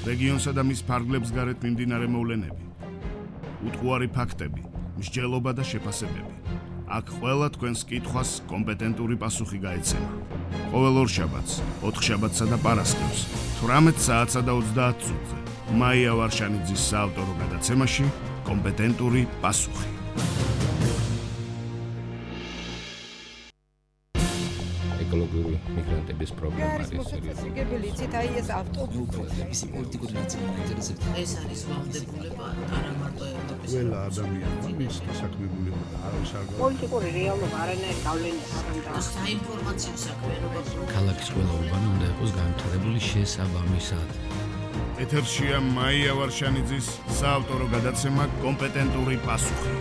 რეგიონსა და მის ფარგლებს გარეთ მიმდინარე მოვლენები, უტყუარი ფაქტები, მსჯელობა და შეფასებები. აქ ყველა თქვენს კითხვას კომპეტენტური პასუხი გაეცემა. ყოველ ორშაბათს, ოთხშაბათსა და პარასკევს, 18 საათსა და 30 წუთზე, მაია ვარშანიძის საავტორო გადაცემაში კომპეტენტური პასუხი. ეკოლოგიური მიგრანტების პრობლემა არის მოსაწესრიგებელი იცით აი ეს ავტობუსები მისი პოლიტიკური ნაწილი მაინტერესებს ეს არის ვალდებულება არა მარტო ევროპის ყველა ადამიანმა მისთა საქმებულება არავის არ პოლიტიკური რეალობა არანაირი გავლენა არ უნდა საინფორმაციო საქმიანობა ქალაქის ყველა უბანი უნდა იყოს განვითარებული შესაბამისად. ეთერშია მაია ვარშანიძის საავტორო გადაცემა კომპეტენტური პასუხი.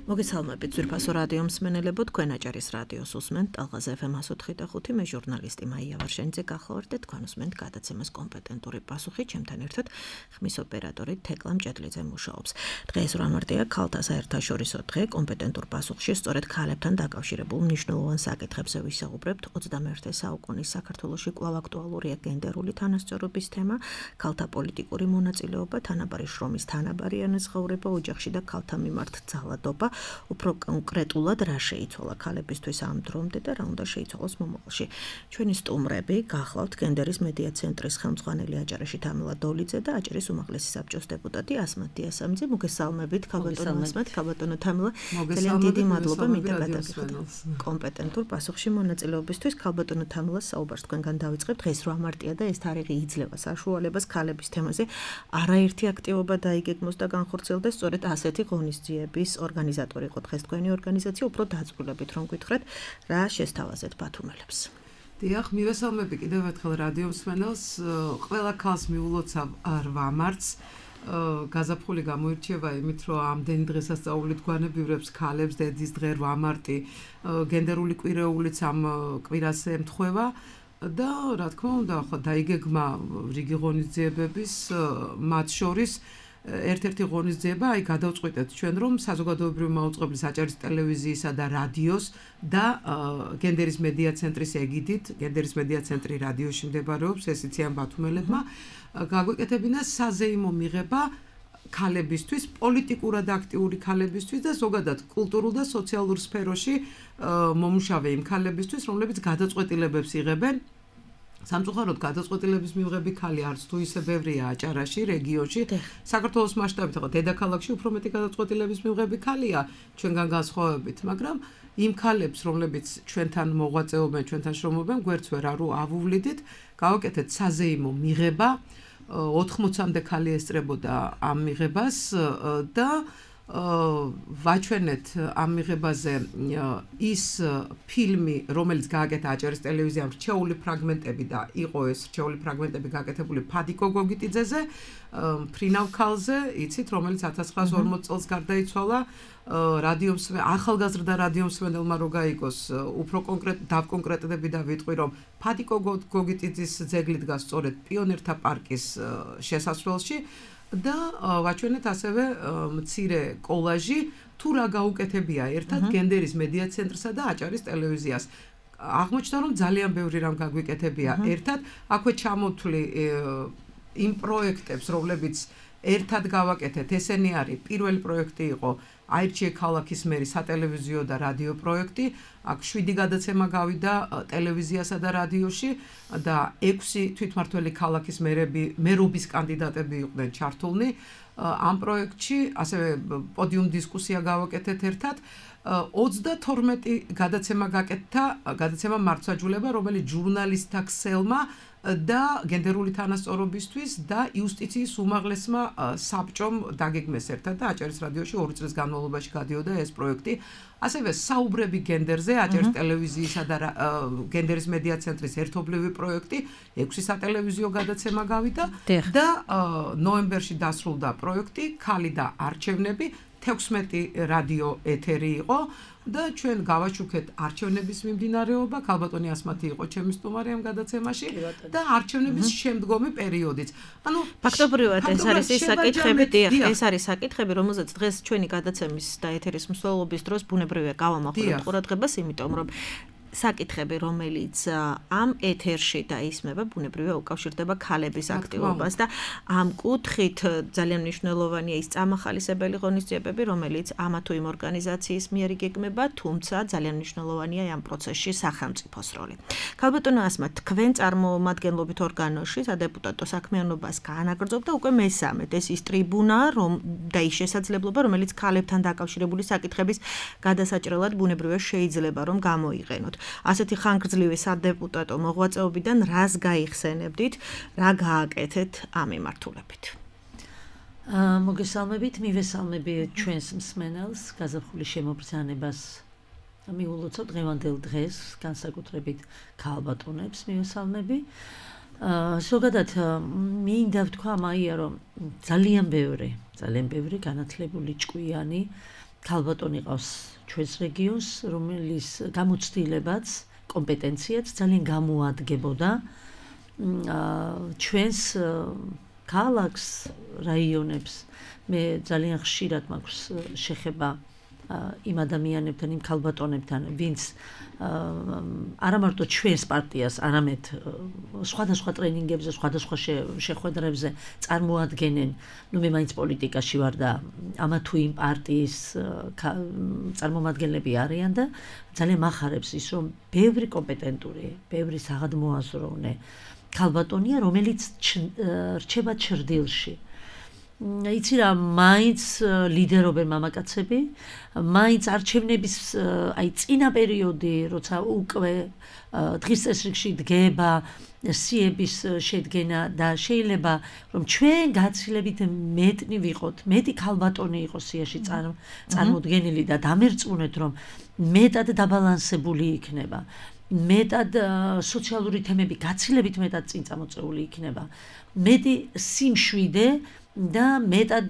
მოგესალმებით ძვირფასო რადიო მსმენელებო, თქვენ აჭარის რადიოს უსმენთ ტალღაზე FM 104.5, მე ჟურნალისტი მაია ვარშანიძე გახლავართ და თქვენ უსმენთ გადაცემას კომპეტენტური პასუხი, ჩემთან ერთად ხმის ოპერატორი თეკლა მჭედლიძე მუშაობს. დღეს 8 მარტია ქალთა საერთაშორისო დღე, კომპეტენტურ პასუხში სწორედ ქალებთან დაკავშირებულ მნიშვნელოვან საკითხებზე ვისაუბრებთ. 21 საუკუნის საქართველოში კვლავ აქტუალურია გენდერული თანასწორობის თემა, ქალთა პოლიტიკური მონაწილეობა, თანაბარი შრომის თანაბარი ანაზღაურება ოჯახში და ქალთა მიმართ ძალადობა. უფრო კონკრეტულად რა შეიცვალა ქალებისთვის ამ დრომდე და რა უნდა შეიცვალოს მომავალში. ჩვენი სტუმრები გახლავთ გენდერის მედია ცენტრის ხელმძღვანელი აჭარაში თამილა დოლიძე და აჭარის უმაღლესი საბჭოს დეპუტატი ასმათ დიასამიძე. მოგესალმებით ქალბატონო ასმათ, ქალბატონო თამილა. ძალიან დიდი მადლობა მინდა გადაგიხადოთ კომპეტენტურ პასუხში მონაწილეობისთვის. ქალბატონო თამილა, საუბარს თქვენგან დავიწყებთ. დღეს 8 მარტია და ეს თარიღი იძლევა საშუალებას ქალების თემაზე არაერთი აქტივობა დაიგეგმოს და განხორციელდეს სწორედ ასეთი ღონისძიების ორგანიზატორი იყო დღეს თქვენი ორგანიზაცია, უფრო დაწვრილებით რომ გითხრათ, რა შესთავაზეთ ბათუმელებს. დიახ, მივესალმები კიდევ ერთხელ რადიო მსმენელს, ყველა ქალს მიულოცავ 8 მარტს. გაზაფხული გამოირჩევა იმით, რომ ამდენი დღესასწაული გვანებივრებს ქალებს, დედის დღე 8 მარტი, გენდერული კვირეულიც ამ კვირას ემთხვევა და რა თქმა უნდა, ხო დაიგეგმა რიგი ღონისძიებების, მათ შორის ერთ-ერთი ღონისძიება, აი გადავწყვიტეთ ჩვენ, რომ საზოგადოებრივი მაუწყებლის აჭარის ტელევიზიისა და რადიოს და გენდერის მედია ცენტრის ეგიდით, გენდერის მედია ცენტრი რადიოში მდებარეობს, ეს იციან ბათუმელებმა, გაგვეკეთებინა საზეიმო მიღება ქალებისთვის, პოლიტიკურად აქტიური ქალებისთვის და ზოგადად კულტურულ და სოციალურ სფეროში მომუშავე იმ ქალებისთვის, რომლებიც გადაწყვეტილებებს იღებენ. სამწუხაროდ გადაწყვეტილების მიღები ქალი არც თუ ისე ბევრია აჭარაში, რეგიონში. საქართველოს მასშტაბით ხო დედაქალაქში უფრო მეტი გადაწყვეტილების მიღები ქალია ჩვენგან განსხვავებით, მაგრამ იმ ქალებს, რომლებიც ჩვენთან მოღვაწეობენ, ჩვენთან შრომობენ, გვერდს ვერ ავუვლიდით, გავაკეთეთ საზეიმო მიღება, 80-მდე ქალი ესწრებოდა ამ მიღებას და ვაჩვენეთ ამ მიღებაზე ის ფილმი, რომელიც გააკეთა აჭარის ტელევიზიამ, რჩეული ფრაგმენტები და იყო ეს რჩეული ფრაგმენტები გააკეთებული ფადიკო გოგიტიძეზე, ფრინავ ქალზე, იცით, რომელიც 1940 წელს გარდაიცვალა. ახალგაზრდა რადიო მსმენელმა რო გაიგოს, უფრო დავკონკრეტდები და ვიტყვი, რომ ფადიკო გოგიტიძის ძეგლი დგას სწორედ პიონერთა პარკის შესასვლელში. და ვაჩვენეთ ასევე მცირე კოლაჟი, თუ რა გაუკეთებია ერთად გენდერის მედია ცენტრსა და აჭარის ტელევიზიას. აღმოჩნდა, რომ ძალიან ბევრი რამ გაგვიკეთებია ერთად. აქვე ჩამოთვლი იმ პროექტებს, რომლებიც ერთად გავაკეთეთ. ესენი არის პირველი პროექტი იყო აირჩიე ქალაქის მერი სატელევიზიო და რადიო პროექტი. აქ 7 გადაცემა გავიდა ტელევიზიასა და რადიოში და 6 თვითმმართველი ქალაქის მერობის კანდიდატები იყვნენ ჩართულნი. ამ პროექტში ასევე პოდიუმ დისკუსია გავაკეთეთ ერთად. 32 გადაცემა გაკეთდა, გადაცემა მართლმსაჯულება, რომელიც ჟურნალისტთა ქსელმა და გენდერული თანასწორობისთვის და იუსტიციის უმაღლესმა საბჭომ დაგეგმეს ერთად და აჭარის რადიოში 2 წლის განმავლობაში გადიოდა ეს პროექტი. ასევე საუბრები გენდერზე, აჭარის ტელევიზიისა და გენდერის მედია ცენტრის ერთობლივი პროექტი, 6 სატელევიზიო გადაცემა გავიდა და ნოემბერში დასრულდა პროექტი ქალი და არჩევნები, 16 რადიო ეთერი იყო და ჩვენ გავაჩუქეთ არჩევნების მიმდინარეობა, ქალბატონი ასმათი იყო ჩემი სტუმარი ამ გადაცემაში და არჩევნების შემდგომი პერიოდიც. ანუ ფაქტობრივად ეს არის ის საკითხები, ეს არის საკითხები, რომელზეც დღეს ჩვენი გადაცემის და ეთერის მსვლელობის დროს ბუნებრივია გავამახვილებთ ყურადღებას, იმიტომ რომ საკითხები, რომელიც ამ ეთერში დაისმება, ბუნებრივია უკავშირდება ქალების აქტივობას და ამ კუთხით ძალიან მნიშვნელოვანია ის წამახალისებელი ღონისძიებები, რომელიც ამა თუ იმ ორგანიზაციის მიერ იგეგმება, თუმცა ძალიან მნიშვნელოვანია ამ პროცესში სახელმწიფოს როლი. ქალბატონო ასმა, თქვენ წარმომადგენლობით ორგანოში სადეპუტატო საქმიანობას გაანაგრძობთ და უკვე მესამედ ეს ის ტრიბუნა და ის შესაძლებლობა, რომელიც ქალებთან დაკავშირებული საკითხების გადასაჭრელად ბუნებრივია შეიძლება რომ გამოიყენოთ. ასეთი ხანგრძლივი სადეპუტატო მოღვაწეობიდან რას გაიხსენებდით, რა გააკეთეთ ამ მიმართულებით? მოგესალმებით, მივესალმები ჩვენს მსმენელს, გაზაფხულის შემობრძანებას მიულოცავ დღევანდელ დღეს, განსაკუთრებით ქალბატონებს მივესალმები. ზოგადად მინდა ვთქვა მაია, რომ ძალიან ბევრი განათლებული ჭკვიანი ქალბატონი ყავს ჩვენს რეგიონს, რომლის გამოცდილებაც, კომპეტენციაც ძალიან გამოადგებოდა ჩვენს ქალაქს, რაიონებს. მე ძალიან ხშირად მაქვს შეხება იმ ადამიანებთან, იმ ქალბატონებთან, ვინც არა მარტო ჩვენს პარტიას, არამედ სხვადასხვა ტრენინგებზე, სხვადასხვა შეხვედრებზე წარმოადგენენ. მე მაინც პოლიტიკაში ვარ და ამა თუ იმ პარტიის წარმომადგენლები არიან და ძალიან მახარებს ის, რომ ბევრი კომპეტენტური, ბევრი საღადმოაზროვნე ქალბატონია, რომელიც რჩება ჩრდილში. იცი რა, მაინც ლიდერობენ მამაკაცები, მაინც არჩევნების წინა პერიოდი, როცა უკვე დღის წესრიგში დგება სიების შედგენა და შეიძლება რომ ჩვენ გაცილებით მეტნი ვიყოთ, მეტი ქალბატონი იყოს სიაში წარმოდგენილი და დამერწმუნეთ, რომ მეტად დაბალანსებული იქნება. მეტად სოციალური თემები გაცილებით მეტად წინ წამოწეული იქნება. მეტი სიმშვიდე და მეტად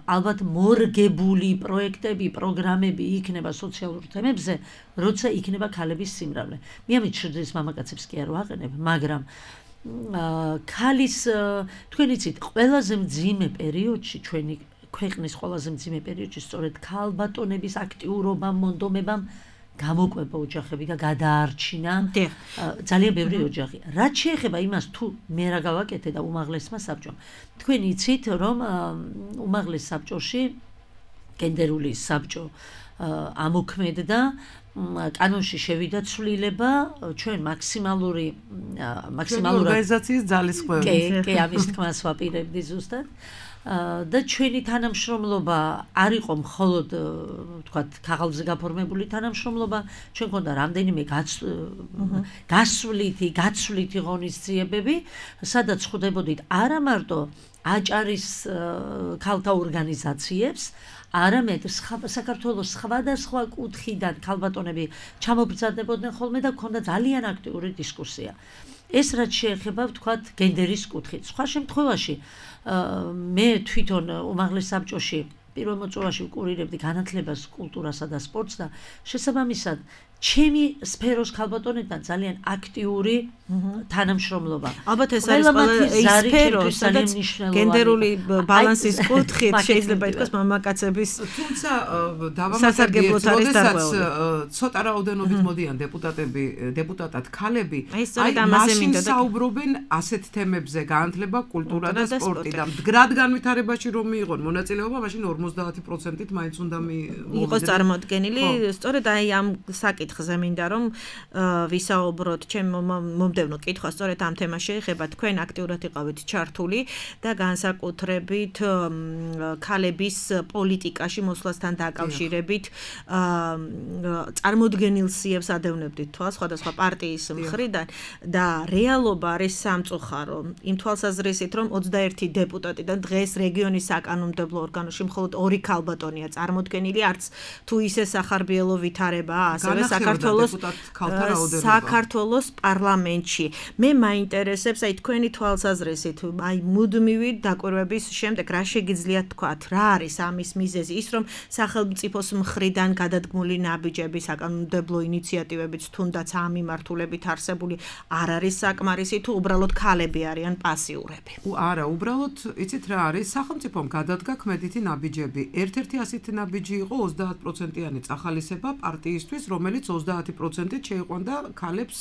ალბათ მორგებული პროექტები, პროგრამები იქნება სოციალურ თემებზე, როცა იქნება ქალების სიმრავლე. მე ამით შედრის მამაკაცებს კი არ ვაყენებ, მაგრამ ქალის თქვენ იცით, ყველაზე მძიმე პერიოდში, ჩვენი ქვეყნის ყველაზე მძიმე პერიოდში სწორედ ქალბატონების აქტიურობამ, მონდომებამ გამოკვება ოჯახები და გადაარჩინა ძალიან ბევრი ოჯახი. რაც შეეხება იმას, თუ მე რა გავაკეთე და უმაღლესმა საბჭომ. თქვენ იცით, რომ უმაღლეს საბჭოში გენდერული საბჭო ამოქმედდა, კანონში შევიდა ცვლილება ჩვენ მაქსიმალური ორგანიზაციის ძალისხმევით. კი, ამის თქმას ვაპირებდი ზუსტად. და ჩვენი თანამშრომლობა არ იყო მხოლოდ ვთქვათ ქაღალდზე გაფორმებული თანამშრომლობა, ჩვენ გქონდა რამდენიმე გაცვლითი ღონისძიებები, სადაც ხვდებოდით არა მარტო აჭარის ქალთა ორგანიზაციებს, არამედ საქართველოს სხვადასხვა კუთხიდან ქალბატონები ჩამობრძანდებოდნენ ხოლმე და გქონდა ძალიან აქტიური დისკუსია. ეს რაც შეეხება ვთქვათ გენდერის კუთხით. სხვა შემთხვევაში მე თვითონ უმაღლეს საბჭოში პირველ მოწვევაში ვკურირებდი განათლებას, კულტურასა და სპორტს და შესაბამისად ჩემი სფეროს ქალბატონებთან ძალიან აქტიური თანამშრომლობა. ალბათ ეს არის ყველა ის სფერო, სადაც გენდერული ბალანსის კუთხით შეიძლება ითქვას მამაკაცების თუმცა დავამატებთ, როდესაც ცოტა რაოდენობით მოდიან დეპუტატად ქალები, მაშინ საუბრობენ ასეთ თემებზე, განათლება, კულტურა და სპორტი და მდგრად განვითარებაში რომ მიიღონ მონაწილეობა, მაშინ 50%-ით მაინც უნდა იყოს წარმოდგენილი. სწორედ აი ამ საკითხზე მინდა რომ ვისაუბროთ, ჩემ მომდევნო კითხვა სწორედ ამ თემას შეეხება. თქვენ აქტიურად იყავით ჩართული და განსაკუთრებით ქალების პოლიტიკაში მოსვლასთან დაკავშირებით წარმოდგენილ სიებს ადევნებდით თვალს სხვადასხვა პარტიის მხრიდან და რეალობა არის სამწუხარო. იმ თვალსაზრისით, რომ 21 დეპუტატიდან დღეს რეგიონის საკანონმდებლო ორგანოში მხოლოდ 2 ქალბატონია წარმოდგენილი, არც თუ ისე სახარბიელო ვითარებაა, ასევე საქართველოს პარლამენტში. მე მაინტერესებს აი თქვენი თვალსაზრისით, აი მუდმივი დაკვირვების შემდეგ რა შეგიძლიათ თქვათ, რა არის ამის მიზეზი? ის რომ სახელმწიფოს მხრიდან გადადგმული ნაბიჯები, საკანონმდებლო ინიციატივებიც თუნდაც ამ მიმართულებით არსებული არ არის საკმარისი, თუ უბრალოდ ქალები არიან პასიურები? არა, უბრალოდ იცით რა არის, სახელმწიფომ გადადგა ქმედითი ნაბიჯები. ერთ-ერთი ასეთი ნაბიჯი იყო 30%-იანი წახალისება პარტიისთვის, რომელიც რომელიც 30%-ით შეიყვანდა ქალებს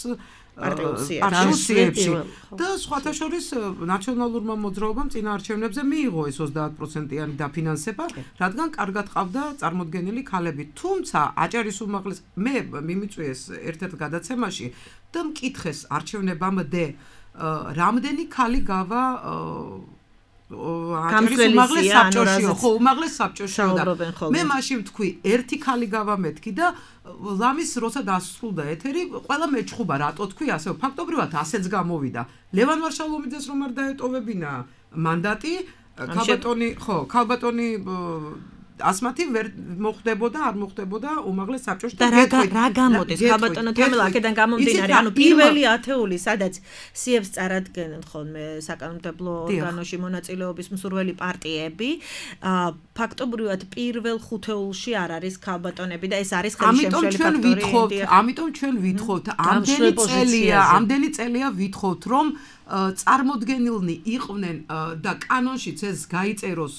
პარტიებში და სხვათა შორის ნაციონალურმა მოძრაობამ წინა არჩევნებზე მიიღო ეს 30%-იანი დაფინანსება, რადგან კარგად ყავდა წარმოდგენილი ქალები. თუმცა აჭარის უმაღლეს მე მიმიწვიეს ერთ-ერთ გადაცემაში და მკითხეს არჩევნებამდე რამდენი ქალი გავა აჭარის უმაღლეს საბჭოში, ხო, უმაღლეს საბჭოში და მე მაშინ ვთქვი, ერთი ქალი გავა მეთქი და ლამის როცა დასრულდა ეთერი, ყველა მეჩხუბა, რატო თქვი ასე, ფაქტობრივად ასეც გამოვიდა. ლევან ვარშალომიძეს რომ არ დაეტოვებინა მანდატი, ქალბატონი ასმათი ვერ მოხდებოდა, არ მოხდებოდა უმაღლეს საბჭოში და რა გამოდის ქალბატონო თამელა აქედან გამომდინარე, ანუ პირველი ათეული, სადაც სიებს წარადგენენ ხოლმე საკანონმდებლო ორგანოში მონაწილეობის მსურველი პარტიები, ფაქტობრივად პირველ ხუთეულში არ არის ქალბატონები და ეს არის ხელშემშელი ფაქტორი. ამიტომ ჩვენ ვითხოვთ, ამდენი წელია ვითხოვთ, რომ წარმოდგენილნი იყვნენ და კანონშიც ეს გაიწეროს,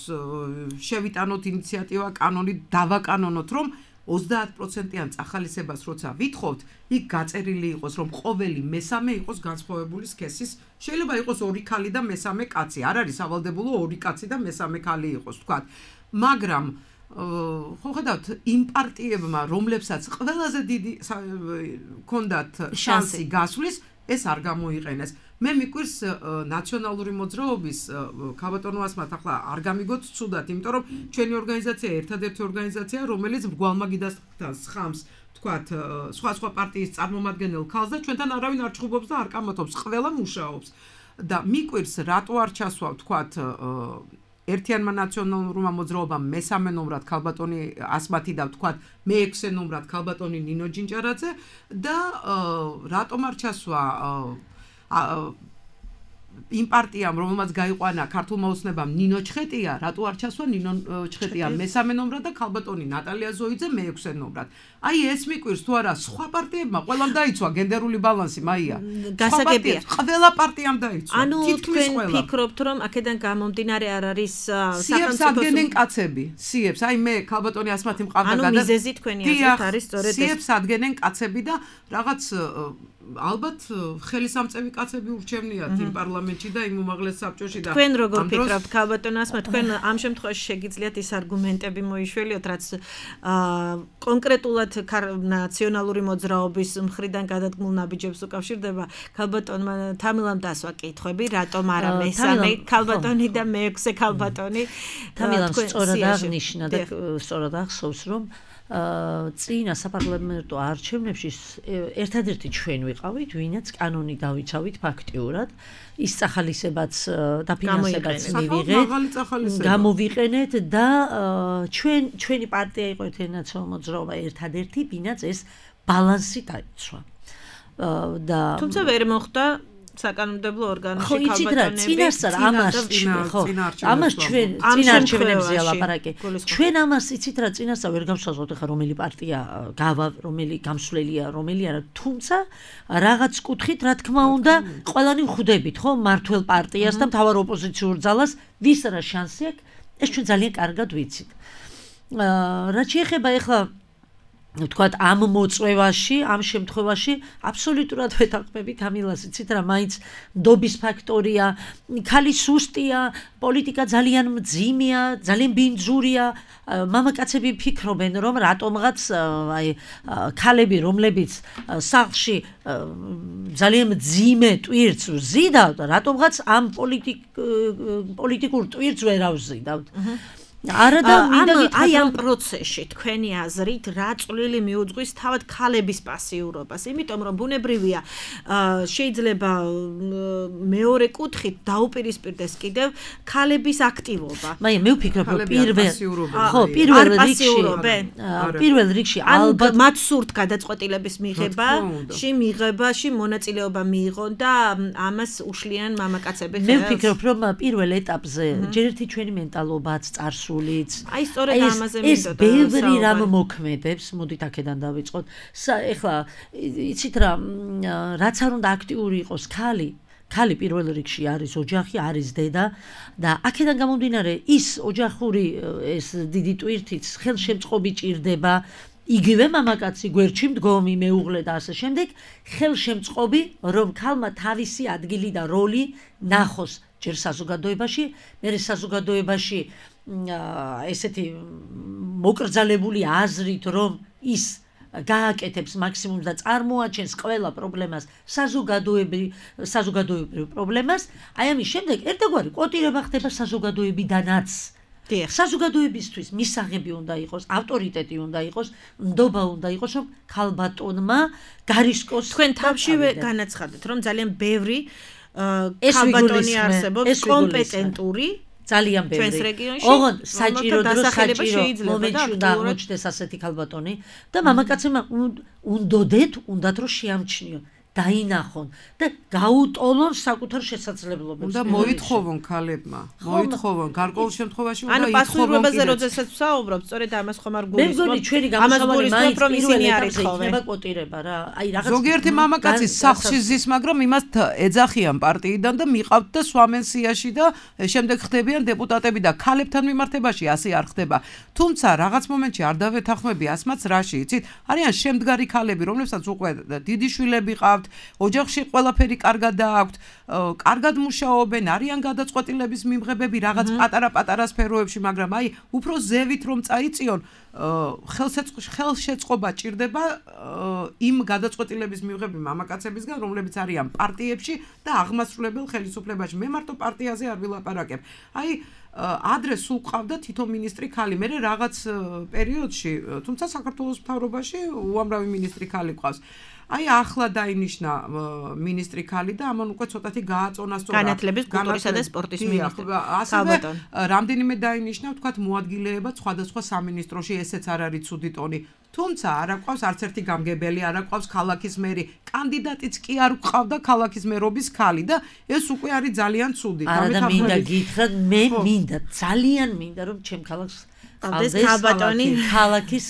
შევიტანოთ ინიციატივა კანონით, დავაკანონოთ, რომ 30%-იან წახალისებას როცა ვითხოვთ, იქ გაწერილი იყოს, რომ ყოველი მესამე იყოს განსხვავებული სქესის, შეიძლება იყოს 2 ქალი და მესამე კაცი, არ არის სავალდებულო 2 კაცი და მესამე ქალი იყოს, თქვათ. მაგრამ ხო ხედავთ, იმ პარტიებმა, რომლებსაც ყველაზე დიდი ჰქონდათ შანსი გასვლის, ეს არ გამოიყენეს. მე მიკვირს ნაციონალური მოძრაობის ქალბატონო ასმათ ახლა არ გამიგოთ ცუდად, იმიტომ რომ ჩვენი ორგანიზაცია ერთადერთი ორგანიზაცია, რომელიც მრგვალმაგიდას ხამს, თქვათ, სხვა პარტიის წარმომადგენელ ქალს და ჩვენთან არავინ არ ჩხუბობს და არ კამათობს, ყველა მუშაობს. და მიკვირს რატო არ ჩასვა, თქვათ, ერთიანმა ნაციონალურმა მოძრაობამ მესამე ნომრად ქალბატონი ასმათი და თქვათ მეექვსე ნომრად ქალბატონი ნინო ჯინჯარაძე და რატომ არ ჩასვა იმ პარტიამ, რომელმაც გაიყვანა ქართულმა ოცნებამ ნინო ჩხეტია, რატო არ ჩასვა ნინო ჩხეტია მესამე ნომრად და ქალბატონი ნატალია ზოიძე მეექვსე ნომრად. აი ეს მიკვირს თუ არა სხვა პარტიებმა ყველამ დაიცვა გენდერული ბალანსი, მაია. გასაგებია. ყველა პარტიამ დაიცვა. ანუ თქვენ ფიქრობთ, რომ აქედან გამომდინარე არ არის სიებს ადგენენ კაცები. სიებს, აი მე ქალბატონი ასმათი მყავდა ანუ მიზეზი თქვენი აზრით არის სწორედ ეს. სიებს ადგენენ კაცები და რაღაც ალბათ ხელისამწევი კაცები ურჩევნიათ იმ პარლამენტში და იმ უმაღლეს საბჭოში და თქვენ როგორ ფიქრობთ ქალბატონო ასმა, თქვენ ამ შემთხვევაში შეგიძლიათ ის არგუმენტები მოიშველიოთ, რაც კონკრეტულად ნაციონალური მოძრაობის მხრიდან გადადგმულ ნაბიჯებს უკავშირდება ქალბატონმა თამილამ დასვა კითხვები, რატომ არა მესამე ქალბატონი და მეექვსე ქალბატონი. თამილამ სწორად აღნიშნა და სწორად ახსოვს, რომ წინა საპარლამენტო არჩევნებში ერთადერთი ჩვენ ვიყავით, ვინაც კანონი დავიცავით ფაქტიურად, ის წახალისებაც დაფინანსებაც მივიღეთ, გამოვიყენეთ და ჩვენი პარტია იყო ერთიანი ნაციონალური მოძრაობა ერთადერთი, ვინაც ეს ბალანსი დაიცვა. თუმცა ვერ მოხდა საკანონმდებლო ორგანოში ქალბატონები. ამას ჩვენ წინა არჩევნებზეა ლაპარაკი. ჩვენ ამას იცით რა წინასწარ ვერ გავსაზღვროთ ხა რომელი პარტია გავა, რომელი გამსვლელია, რომელი არა. თუმცა რაღაც კუთხით რა თქმა უნდა ყველანი ვხვდებით, ხო, მართლ პარტიას და მთავარ ოპოზიციურ ძალას, ვის რა შანსი აქვს, ეს ჩვენ ძალიან კარგად ვიცით. რაც შეეხება ეხლა თქვათ ამ მოწვევაში, ამ შემთხვევაში აბსოლუტურად ვეთანხმებით ამილას, იცით რა, მაინც ნდობის ფაქტორია, ქალი სუსტია, პოლიტიკა ძალიან მძიმეა, ძალიან ბინძურია. მამაკაცები ფიქრობენ, რომ რატომღაც აი ქალები, რომლებიც სახლში ძალიან მძიმე ტვირთს ვზიდავთ, რატომღაც ამ პოლიტიკურ ტვირთს ვერ ავზიდავთ. აი ამ პროცესში თქვენი აზრით რა წვლილი მიუძღვის თავად ქალების პასიურობას, იმიტომ რომ ბუნებრივია შეიძლება მეორე კუთხით დაუპირისპირდეს კიდევ ქალების აქტივობა. მე ვფიქრობ, რომ პირველ რიგში ალბათ მათ სურთ გადაწყვეტილების მიღებაში მონაწილეობა მიიღონ და ამას უშლიან მამაკაცები ხელს. მე ვფიქრობ, რომ პირველ ეტაპზე ჯერ ერთი ჩვენი მენტალობაც წარსულიც. აი სწორედ ამაზე მინდოდა. ეს ბევრი რამ მოქმედებს, მოდით აქედან დავიწყოთ. ეხლა იცით რა, რაც არ უნდა აქტიური იყოს ქალი პირველ რიგში არის ოჯახი, არის დედა და აქედან გამომდინარე ის ოჯახური ეს დიდი ტვირთიც ხელშემწყობი ჭირდება იგივე მამაკაცი გვერდში მდგომი მეუღლე და ასე შემდეგ ხელშემწყობი რომ ქალმა თავისი ადგილი და როლი ნახოს ჯერ საზოგადოებაში, მერე საზოგადოებაში ესეთი მოკრძალებული აზრით რომ ის გააკეთებს მაქსიმუმს და წარმოაჩენს ყველა პრობლემას საზოგადოებრივ პრობლემას, აი ამის შემდეგ ერთგვარი კვოტირება ხდება საზოგადოებიდანაც. საზოგადოებისთვის მისაღები უნდა იყოს, ავტორიტეტი უნდა იყოს, ნდობა უნდა იყოს, რომ ქალბატონმა გარისკოს. თქვენ თავშივე განაცხადეთ, რომ ძალიან ბევრი ქალბატონი არსებობს კომპეტენტური ძალიან ბევრი. ჩვენს რეგიონში ოღონდ საჭირო მომენტში უნდა აღმოჩნდეს ასეთი ქალბატონი და მამაკაცებმა უნდათ რომ შეამჩნიონ, დაინახონ და გაუტოლონ საკუთარ შესაძლებლობებს. უნდა მოითხოვონ ქალებმა, მოითხოვონ გარკვეულ შემთხვევაში უნდა ითხოვონ. ანუ პასუხისმგებლობაზე როდესაც ვსაუბრობთ, სწორედ ამას ხომ არ გულისხმობთ. მე მგონი ჩვენი გამოსავალი მაინც პირველ ეტაპზე იქნება კვოტირება რა. აი რაღაც ზოგიერთი მამაკაცი სახლში ზის, მაგრამ იმას ეძახიან პარტიიდან და მიყავთ და სვამენ სიაში და შემდეგ ხდებიან დეპუტატები და ქალებთან მიმართებაში ასე არ ხდება. თუმცა რაღაც მომენტში არ დავეთანხმები ასმაც რაში, იცით? არიან შემდგარი ქალები, რომლებსაც უკვე დიდი შვილები ყავთ, ოჯახში ყველაფერი კარგად დააქვთ, კარგად მუშაობენ, არიან გადაწყვეტილების მიმღებები რაღაც პატარა სფეროებში, მაგრამ აი უფრო ზევით რომ წაიწიონ, ხელშეწყობა ჭირდება იმ გადაწყვეტილების მიღების მამაკაცებისგან, რომლებიც არიან პარტიებში და აღმასრულებელ ხელისუფლებაში. მე მარტო პარტიაზე არ ვილაპარაკებ. აი ადრე სულ ყავდა თითო მინისტრი ქალი, მე რაღაც პერიოდში, თუმცა საქართველოს მთავრობაში უამრავი მინისტრი ქალი ყავს. აი ახლა დაინიშნა მინისტრი ქალი და ამან უკვე ცოტათი გააწონა სწორად განათლების, კულტურისა და სპორტის მინისტრი. ასევე რამდენიმე დაინიშნა, ვთქვათ, მოადგილეება სხვადასხვა სამინისტროში, ესეც არ არის ცუდი ტონი. თუმცა არ აყვავს არც ერთი გამგებელი, არ აყვავს ქალაქის მერი. კანდიდატიც კი არ გვყავდა ქალაქის მერობის ქალი და ეს უკვე არის ძალიან ცუდი. არა და მინდა გითხრათ, მე მინდა, ძალიან მინდა რომ ჩემ ქალაქს ყავდეს ქალბატონი ქალაქის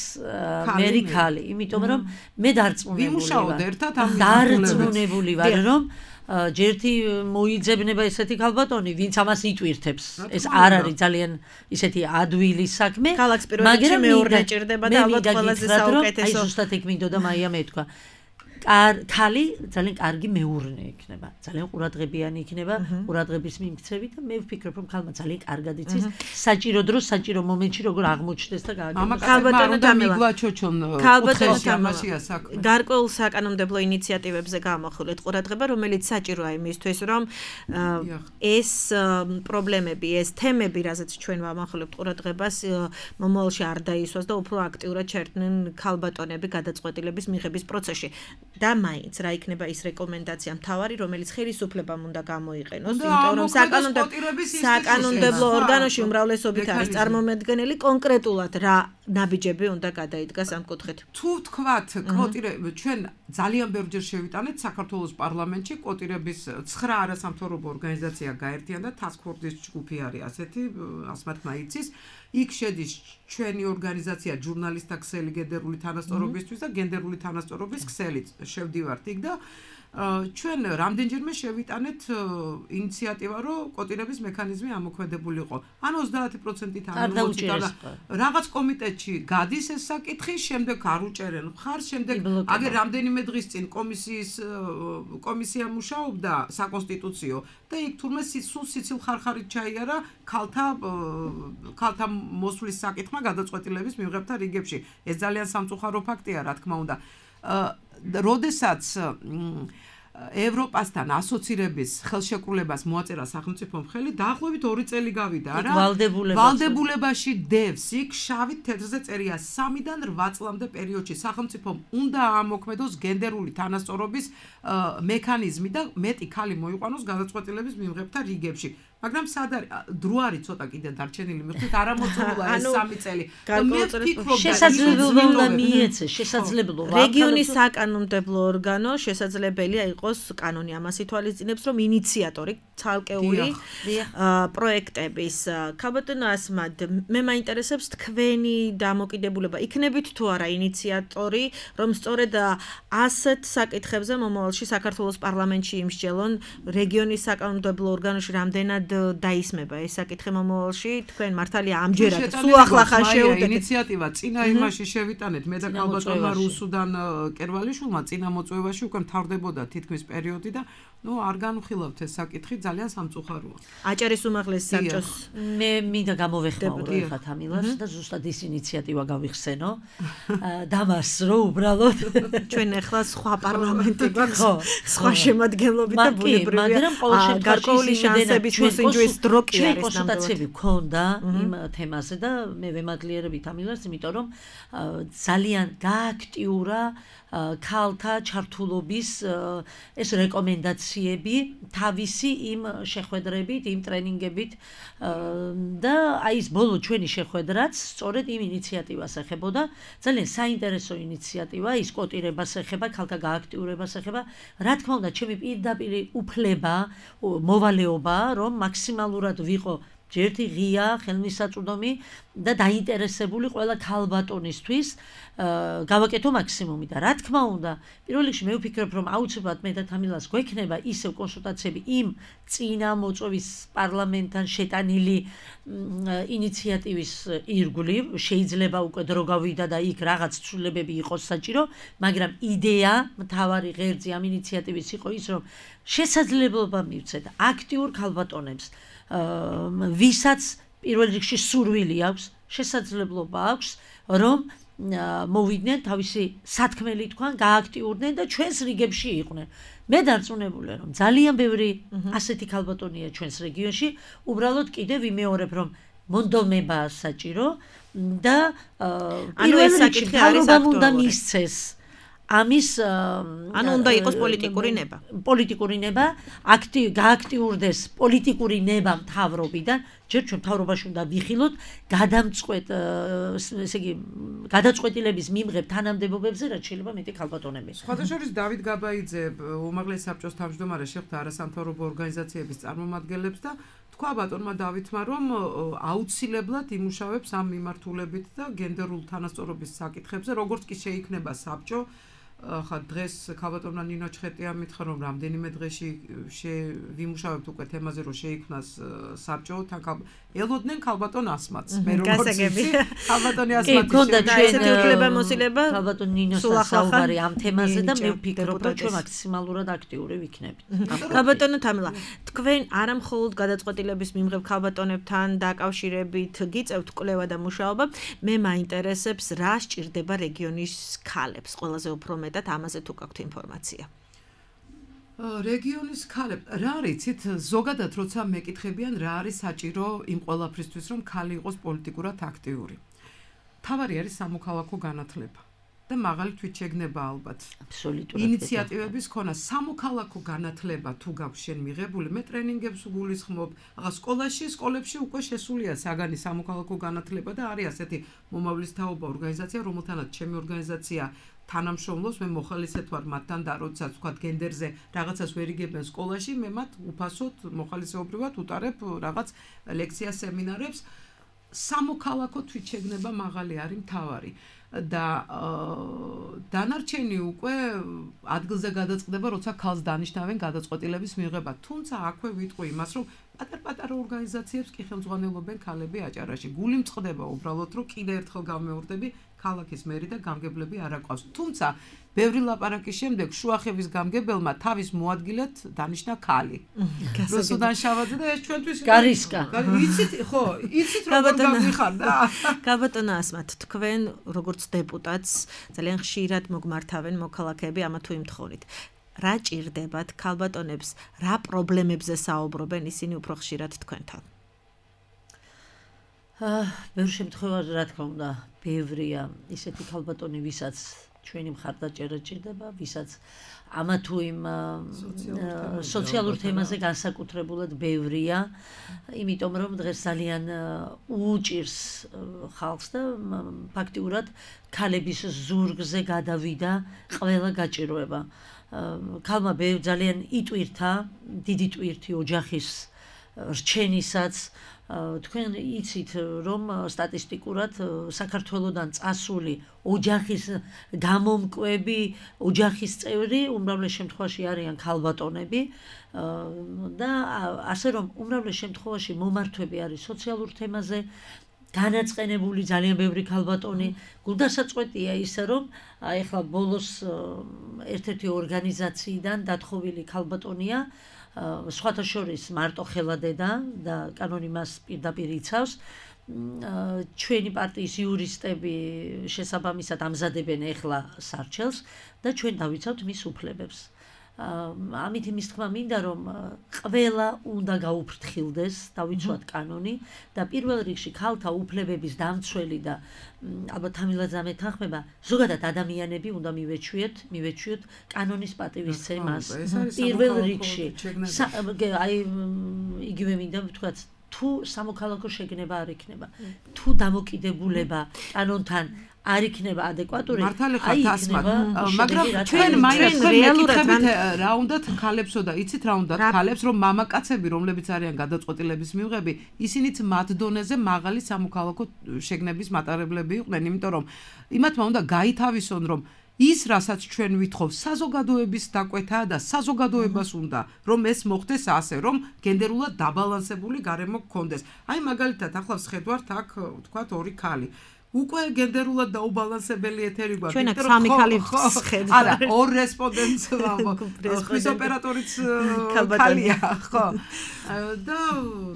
მერი ქალი, იმიტომ რომ მე დარწმუნებული ვარ რომ ჯერთი მოიძებნება ესეთი ქალბატონი, ვინც ამას იტვირთებს. ეს არ არის ძალიან ისეთი ადვილი საქმე, მაგრამ მეორე ჭირდება და ალბათ ყველაზე საუკეთესო. აი ზუსტად ეგ მინდოდა მაია მეთქვა. ქალი ძალიან კარგი მეურნე იქნება, ძალიან ყურადღებიანი იქნება, ყურადღების მიმქცევით და მე ვფიქრობ რომ ქალმა ძალიან კარგად იცის საჭირო დროს, საჭირო მომენტში როგორ აღმოჩნდეს და გააკეთოს. ქალბატონო მიგვაჩოჩონ კუთხეში ამაშია საქმე. გარკვეულ საკანონმდებლო ინიციატივებზე გამახვილეთ ყურადღება, რომელიც საჭიროა იმისთვის, რომ ეს პრობლემები, ეს თემები, რაზეც ჩვენ ვამახვილებთ ყურადღებას, მომავალში არ დაისვას და უფრო აქტიურად ჩერდნენ ქალბატონები გადაწყვეტილების მიღების პროცესში. და მაინც რა იქნება ის რეკომენდაცია მთავარი, რომელიც ხელისუფლებამ უნდა გამოიყენოს, იმიტომ რომ საკანონმდებლო ორგანოში უმრავლესობით არის წარმომადგენელი, კონკრეტულად რა ნაბიჯები უნდა გადაიდგას ამ კუთხით. თუ ვთქვათ, კვოტირება ჩვენ ძალიან ბევრჯერ შევიტანეთ საქართველოს პარლამენტში კვოტირების 9 არასამთავრობო ორგანიზაცია გაერთიანდა და task force-ის ჯგუფი არის ასეთი, ასმათ მაიცის. იქ შედის ჩვენი ორგანიზაცია ჟურნალისტთა ქსელი გენდერული თანასწორობისთვის და გენდერული თანასწორობის ქსელიც შევდივართ იქ და ჩვენ რამდენჯერმე შევიტანეთ ინიციატივა, რომ კვოტირების მექანიზმი ამოქმედებულიყო. ან 30%-ით ამოწიდა. რაღაც კომიტეტში გადის ეს საკითხი, შემდეგ არ უჭერენ მხარს, შემდეგ აგერ რამდენიმე დღის წინ კომისია მუშაობდა საკონსტიტუციო და იქ თურმე სულ სიცილ ხარხარით ჩაიარა ქალთა მოსვლის საკითხმა გადაწყვეტილების მიღებთა რიგებში. ეს ძალიან სამწუხარო ფაქტია, რა თქმა უნდა. როდესაც ევროპასთან ასოცირების ხელშეკრულებას მოაწერა სახელმწიფომ ხელი, დაახლოებით 2 წელი გავიდა რა. ვალდებულებაში დევს იქ შავით თეთრზე წერია 3-დან 8 წლამდე პერიოდში სახელმწიფომ უნდა ამოქმედოს გენდერული თანასწორობის მექანიზმი და მეტი ქალი მოიყვანოს გადაწყვეტილების მიღებთა რიგებში. მაგრამ სად არის დრო არის ცოტა კიდე დარჩენილი მიხვდით არ ამოწურულა ეს 3 წელი. მე ვფიქრობ შესაძლებლობა მიეცეს, შესაძლებლობა. რეგიონის საკანონმდებლო ორგანო შესაძლებელია იყოს კანონი ამას ითვალისწინებს, რომ ინიციატორი ცალკეული პროექტების ქალბატონო ასმად მე მაინტერესებს თქვენი დამოკიდებულება. იქნებით თუ არა ინიციატორი, რომ სწორედ ასეთ საკითხებზე მომავალში საქართველოს პარლამენტში იმსჯელონ რეგიონის საკანონმდებლო ორგანოში რამდენად დაისმება ეს საკითხი მომავალში? თქვენ მართალია ამჯერად სულ ახლახან შეუდეთ ინიციატივა წინა იმაში შევიტანეთ მე და ქალბატონმა რუსუდან კერვალიშვილმა წინა მოწვევაში უკვე მთავრდებოდა თითქმის პერიოდი და არ განვხილავთ ეს საკითხი ძალიან სამწუხაროა. აჭარის უმაღლეს საბჭოს მე მინდა გამოვეხმაურო ხა თამილას და ზუსტად ის ინიციატივა გავიხსენო დამას რო უბრალოდ ჩვენ ახლა სხვა პარლამენტი გვაქვს სხვა შემადგენლობით და ბუნებრივია მაგრამ ყოველ შემთხვევაში გარკვეული შანსების მოსინჯვის დრო კი ჩვენ არის კონსულტაციები გქონდა იმ თემაზე და მე ვემადლიერებით თამილას იმიტომ რომ ძალიან გააქტიურა ქალთა ჩართულობის ეს რეკომენდაციები თავისი იმ შეხვედრებით, იმ ტრენინგებით და აი ეს ბოლო ჩვენი შეხვედრაც სწორედ იმ ინიციატივას ეხებოდა, ძალიან საინტერესო ინიციატივა, ის კოტირებას ეხება, ქალთა გააქტიურებას ეხება. რა თქმა უნდა, ჩემი პირდაპირ უფლება, მოვალეობა, რომ მაქსიმალურად ვიყო ერთი ღია ხელმისაწვდომი და დაინტერესებული ყველა ქალბატონისთვის გავაკეთო მაქსიმუმი და რა თქმა უნდა პირველ რიგში მე ვფიქრობ რომ აუცილებლად მე და თამილას გვექნება ისევ კონსულტაციები იმ წინა მოწვევის პარლამენტთან შეტანილი ინიციატივის ირგვლივ შეიძლება უკვე დრო გავიდა და იქ რაღაც ცვლილებები იყოს საჭირო მაგრამ იდეა მთავარი ღერძი ამ ინიციატივის იყო ის რომ შესაძლებლობა მივცეთ აქტიურ ქალბატონებს ვისაც პირველ რიგში სურვილი აქვს შესაძლებლობა აქვს რომ მოვიდნენ თავისი სათქმელი თქვან გააქტიურდნენ და ჩვენს რიგებში იყვნენ მე დარწმუნებული რომ ძალიან ბევრი ასეთი ქალბატონია ჩვენს რეგიონში უბრალოდ კიდევ ვიმეორებ რომ მონდომებაა საჭირო და პირველ რიგში თავრობამ უნდა მისცეს ამის ანუ უნდა იყოს პოლიტიკური ნება. პოლიტიკური ნება, გააქტიურდეს პოლიტიკური ნება მთავრობიდან, ჯერ ჩვენ მთავრობაში უნდა ვიხილოთ გადამწყვეტ, ესე იგი, გადაწყვეტილების მიმღებ თანამდებობებზე, რაც შეიძლება მეტი ქალბატონები. სხვათა შორის დავით გაბაიძე, უმაღლეს საბჭოს თავმჯდომარე შეხვდა არასამთავრობო ორგანიზაციების წარმომადგენლებს და თქვა ბატონმა დავითმა, რომ აუცილებლად იმუშავებს ამ მიმართულებით და გენდერულ თანასწორობის საკითხებზე, როგორც კი შეიქმნება საბჭო ხა დღეს ქალბატონმა ნინო ჩხეტია მითხრა რომ რამდენიმე დღეში ვიმუშავებთ უკვე თემაზე რომ შეიქმნას საბჭო თან ელოდნენ ქალბატონ ასმაც მე როგორც ვიცი ქალბატონი ასმათი გქონდა ესეთი უფლებამოსილება ქალბატონ ნინოსთან საუბარი ამ თემაზე და მე ვფიქრობ რომ ჩვენ მაქსიმალურად აქტიური ვიქნებით ქალბატონო თამილა თქვენ არა მხოლოდ გადაწყვეტილების მიმღებ ქალბატონებთან დაკავშირებით გიწევთ კვლევა და მუშაობა მე მაინტერესებს რა სჭირდება რეგიონის ქალებს ყველაზე უფრო მეტად ამაზე თუ გაქვთ ინფორმაცია. რეგიონის ქალებს რა არიცით ზოგადად როცა მეკითხებიან რა არის საჭირო იმ ყველაფრისთვის რომ ქალი იყოს პოლიტიკურად აქტიური. თავარი არის სამოქალაქო განათლება და მაღალი თვითშეგნება ალბათ. აბსოლუტურად. ინიციატივების ქონა სამოქალაქო განათლება თუ გაქვს შენ მიღებული მე ტრენინგებს გულისხმობ. სკოლებში უკვე შესულია საგანი სამოქალაქო განათლება და არის ასეთი მომავლისთაობა ორგანიზაცია რომელთანაც ჩემი ორგანიზაცია თანამშრომლობს მე მოხალისედ ვარ მათთან და როდესაც ვთქვათ გენდერზე რაღაცას ვერ იგებენ სკოლაში მე მათ უფასოდ მოხალისეობრივად უტარებ რაღაც ლექცია სემინარებს სამოქალაქო თვითშეგნება მაღალი არის მთავარი და დანარჩენი უკვე ადგილზე გადაწყდება როცა ქალს დანიშნავენ გადაწყვეტილების მიღება თუმცა აქვე ვიტყვი იმას რომ პატარ-პატარა ორგანიზაციებს კი ხელმძღვანელობენ ქალები აჭარაში გული მწყდება უბრალოდ რომ კიდე ერთხელ გამეორდები ქალაქის მერი და გამგებლები არ აყვავს. თუმცა, ბევრი ლაპარაკის შემდეგ შუახევის გამგებელმა თავის მოადგილედ დანიშნა ქალი. რუსუდან შავაძე და ეს ჩვენთვის გარისკა. იცით, ხო, იცით როგორ გამიხარ და ქალბატონო ასმათ, თქვენ როგორც დეპუტატს ძალიან ხშირად მოგმართავენ მოქალაქეები ამა თუ იმ თხოვნით. რა ჭირდებათ ქალბატონებს, რა პრობლემებზე საუბრობენ ისინი უფრო ხშირად თქვენთან? ბევრ შემთხვევაში რა თქმა უნდა ბევრია ისეთი ქალბატონი ვისაც ჩვენი მხარდაჭერა ჭირდება ვისაც ამა თუ იმ სოციალურ თემაზე განსაკუთრებულად ბევრია იმიტომ რომ დღეს ძალიან უჭირს ხალხს და ფაქტიურად ქალების ზურგზე გადავიდა ყველა გაჭირვება ქალმა ძალიან იტვირთა დიდი ტვირთი ოჯახის რჩენისაც თქვენ იცით რომ სტატისტიკურად საქართველოსდან წასული ოჯახის გამომკვები, ოჯახის წევრი უმრავლეს შემთხვევაში არიან ქალბატონები და ასე რომ უმრავლეს შემთხვევაში მომართვები არის სოციალურ თემაზე განაწყენებული ძალიან ბევრი ქალბატონი. გულდასაწყვეტია ისე რომ ეხლა ბოლოს ერთ-ერთი ორგანიზაციიდან დათხოვილი ქალბატონია სხვათა შორის მარტო ხელადედა და კანონი მას პირდაპირ იცავს. ჩვენი პარტიის იურისტები შესაბამისად ამზადებენ ეხლა სარჩელს და ჩვენ დავიცავთ მის უფლებებს. ამით იმის თქმა მინდა რომ ყველა უნდა გაუფრთხილდეს, დავიცვათ კანონი და პირველ რიგში ქალთა უფლებების დამცველი და ალბათ თამილაძე მეთანხმება, ზოგადად ადამიანები უნდა მივეჩვიოთ კანონის პატივისცემას. პირველ რიგში აი იგივე მინდა ვთქვათ, თუ სამოქალაქო შეგნება არ იქნება, თუ დამოკიდებულება კანონთან არ იქნება ადეკვატური, აი იქნება, მაგრამ ჩვენ მაინც რეალურად რა უნდათ ქალებსო და იცით რა უნდათ ქალებს, რომ მამაკაცები, რომლებიც არიან გადაწყვეტილების მიღები, ისინიც მათ დონეზე მაღალი სამოქალაქო შეგნების მატარებლები იყვნენ, იმიტომ რომ იმათმა უნდა გაითავისონ, რომ ის რასაც ჩვენ ვითხოვ საზოგადოების დაკვეთაა და საზოგადოებას უნდა რომ ეს მოხდეს ასე რომ გენდერულად დაბალანსებული გარემო გქონდეს. აი მაგალითად ახლა ვხედავთ აქ ვთქვათ ორი ქალი უკვე გენდერულად დაუბალანსებელი ეთერი გვაქვს. ჩვენ აქ სამი ქალი ვხედავთ. არა, ორ რესპონდენტს ხმის ოპერატორიც ქალია, ხო. და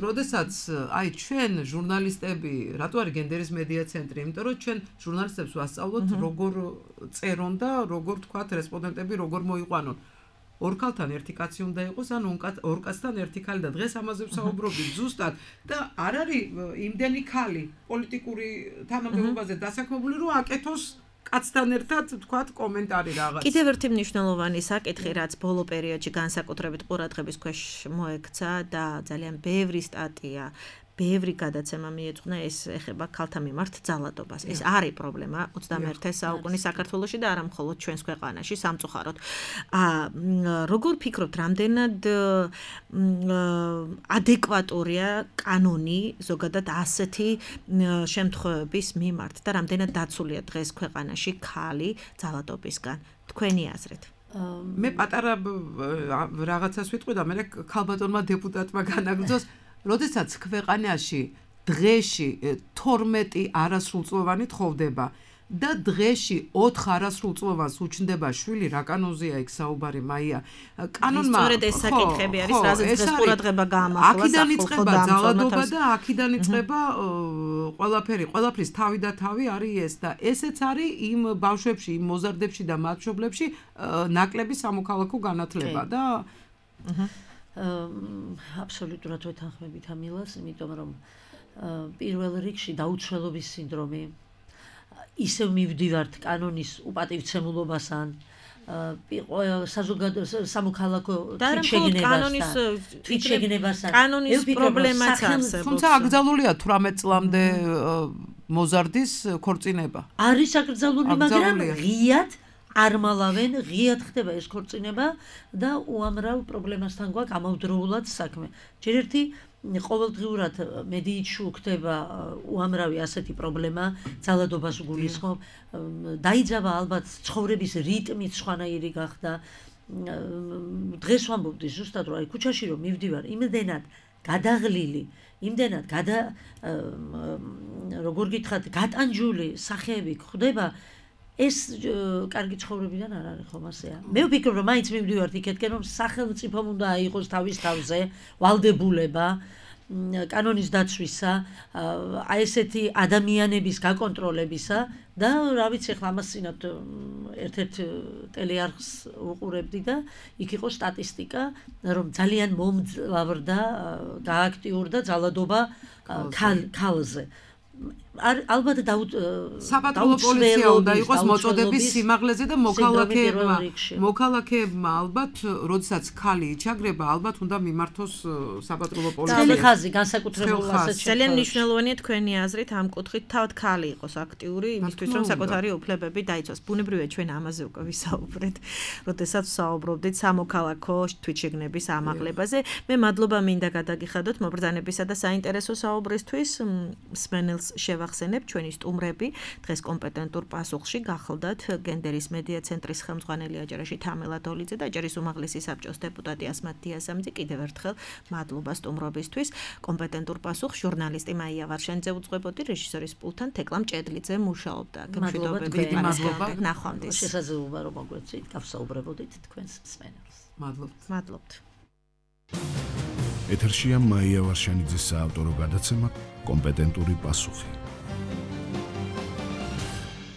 როდესაც აი ჩვენ ჟურნალისტები, რატო არის გენდერის მედია ცენტრი? იმიტომ რომ ჩვენ ჟურნალისტებს ვასწავლოთ როგორ წერონ და როგორ თქვათ რესპონდენტები როგორ მოიყვანონ. ორ ქალთან ერთი კაცი უნდა იყოს, ან ორ კაცთან ერთი ქალი და დღეს ამაზე ვსაუბრობთ ზუსტად და არ არის იმდენი ქალი პოლიტიკური თანამდებობაზე დასაქმებული, რომ აკეთოს კაცთან ერთად თქვათ კომენტარი რაღაც. კიდევ ერთი მნიშვნელოვანი საკითხი, რაც ბოლო პერიოდში განსაკუთრებით ყურადღების ქვეშ მოექცა და ძალიან ბევრი სტატია ბევრი გადაცემა მიეძღვნა, ეს ეხება ქალთა მიმართ ძალადობას. ეს არის პრობლემა 21 საუკუნის საქართველოში და არა მხოლოდ ჩვენს ქვეყანაში, სამწუხაროდ. როგორ ფიქრობთ, რამდენად ადეკვატურია კანონი ზოგადად ასეთი შემთხვევების მიმართ და რამდენად დაცულია დღეს ქვეყანაში ქალი ძალადობისგან? თქვენი აზრით. მე პატარა რაღაცას ვიტყვი და მე ქალბატონმა დეპუტატმა განაგრძოს როდესაც ქვეყანაში დღეში 12 არასრულწლოვანი თხოვდება და დღეში 4 არასრულწლოვანს უჩნდება შვილი, რა კანონზეა იქ საუბარი მაია. კანონმა სწორედ ეს საკითხები არის, რაზეც დღეს ყურადღება გაამახვილა. აქედან იწყება ძალადობა და აქედან იწყება ყველაფრის თავი და თავი არის ეს და ესეც არის იმ ბავშვებში, იმ მოზარდებში და მათშობლებში ნაკლები სამოქალაქო განათლება და აბსოლუტურად ვეთანხმებით ამ მილას, იმიტომ რომ პირველ რიგში დაუცველობის სინდრომი ისევ მივდივართ კანონის უპატივცემულობასთან, სამოქალაქო თვითშეგნებასთან. კანონის პრობლემაც არსებობს. თუმცა აკრძალულია 18 წლამდე მოზარდის ქორწინება. არის აკრძალული, მაგრამ ღიად არმალავენ, ღიად ხდება ეს ქორწინება და უამრავ პრობლემასთან გვაქვს ამავდროულად საქმე. ჯერ ერთი ყოველდღიურად მედიითში უხდება უამრავი ასეთი პრობლემა, ძალადობას გულისხმობ, დაიძაბა ალბათ ცხოვრების რიტმიც სხვანაირი გახდა. დღეს ვამბობდი ზუსტად რომ აი ქუჩაში რომ მივდივარ, იმდენად გადაღლილი, იმდენად როგორ გითხრათ, გატანჯული სახეები ხდება, ეს კარგი ცხოვრებიდან არ არის ხომ ასეა. მე ვფიქრობ რომ მაინც მივდივართ იქეთკენ რომ სახელმწიფომ უნდა აიღოს თავის თავზე ვალდებულება კანონის დაცვისა, აი ესეთი ადამიანების გაკონტროლებისა და რა ვიცი ახლა ამას წინათ ერთ-ერთ ტელეარხს უყურებდი და იქ იყო სტატისტიკა რომ ძალიან მომძლავრდა, გააქტიურდა ძალადობა ქალზე. ალბათ საპატრულო პოლიცია უნდა იყოს მოწოდების სიმაღლეზე და მოქალაქეებმა ალბათ, როდესაც ხალი იჩაგრება, ალბათ უნდა მიმართოს საპატრულო პოლიციას. ძველი ხაზი, განსაკუთრებულ ასეთ ძალიან მნიშვნელოვანია თქვენი აზრით ამ კუთხით თავად ხალი იყოს აქტიური იმისთვის, რომ საკუთარი უფლებები დაიცვას. ბუნებრივია ჩვენ ამაზე უკვე ვისაუბრეთ, როდესაც ვსაუბრობდით სამოქალაქო თვითშეგნების ამაღლებაზე. მე მადლობა მინდა გადაგიხადოთ მობრძანებისა და საინტერესო საუბრისთვის. მსმენელს შევახსენებ ჩვენი სტუმრები დღეს კომპეტენტურ პასუხში გახლდათ გენდერის მედია ცენტრის ხელმძღვანელი აჯარაში თამელა დოლიძე და აჯარის უმაღლესი საბჭოს დეპუტატი ასმათ დიასამძი. კიდევ ერთხელ მადლობა სტუმრობისთვის. კომპეტენტურ პასუხს ჟურნალისტი მაია ვარშენიძე უძღვებოდი, რეჟისორის პულთან თეკლამ ჭედლიძე მუშაობდა. მადლობა, ნახვამდის. შესაძლებლობა რომ მოგვეცით, გავსაუბრებოდით თქვენს მსმენელს. მადლობთ. ეთერშია მაია ვარშენიძის საავტორო გადაცემა კომპეტენტური პასუხი.